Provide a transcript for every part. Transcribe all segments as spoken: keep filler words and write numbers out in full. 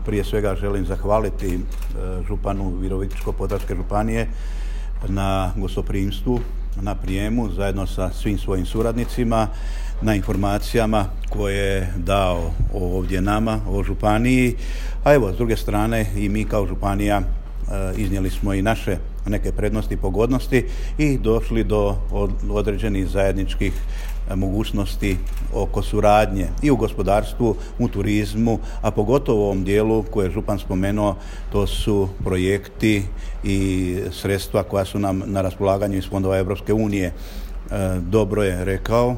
prije svega želim zahvaliti županu Virovitičko-podravske županije na gostoprimstvu, na prijemu zajedno sa svim svojim suradnicima, na informacijama koje je dao ovdje nama o županiji. A evo, s druge strane i mi kao županija iznijeli smo i naše neke prednosti i pogodnosti i došli do određenih zajedničkih mogućnosti oko suradnje i u gospodarstvu, u turizmu, a pogotovo u ovom dijelu koje je župan spomenuo, to su projekti i sredstva koja su nam na raspolaganju iz fondova Europske unije. Dobro je rekao,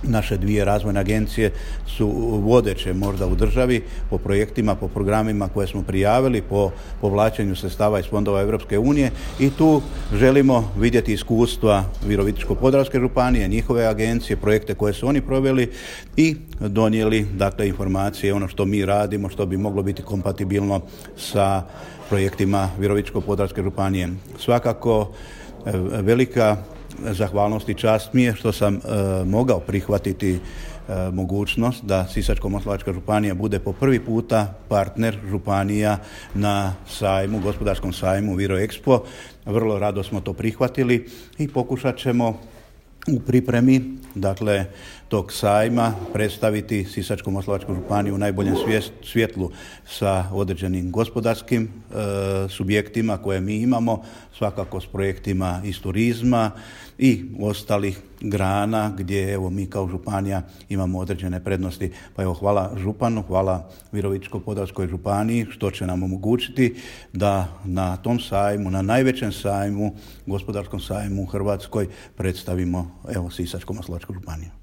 naše dvije razvojne agencije su vodeće možda u državi po projektima, po programima koje smo prijavili, po povlačenju sredstava iz fondova Europske unije i tu želimo vidjeti iskustva Virovitičko-podravske županije, njihove agencije, projekte koje su oni proveli i donijeli dakle informacije, ono što mi radimo, što bi moglo biti kompatibilno sa projektima Virovitičko-podravske županije. Svakako velika zahvalnost i čast mi je što sam e, mogao prihvatiti e, mogućnost da Sisačko-moslavačka županija bude po prvi puta partner županija na sajmu, gospodarskom sajmu Viroexpo. Vrlo rado smo to prihvatili i pokušat ćemo u pripremi dakle tog sajma predstaviti Sisačko-moslavačku županiju u najboljem svjetlu sa određenim gospodarskim e, subjektima koje mi imamo, svakako s projektima iz turizma i ostalih grana gdje evo mi kao županija imamo određene prednosti. Pa evo hvala županu, hvala Virovitičko-podravskoj županiji što će nam omogućiti da na tom sajmu, na najvećem sajmu, gospodarskom sajmu u Hrvatskoj predstavimo evo Sisačko-moslavačku županiju.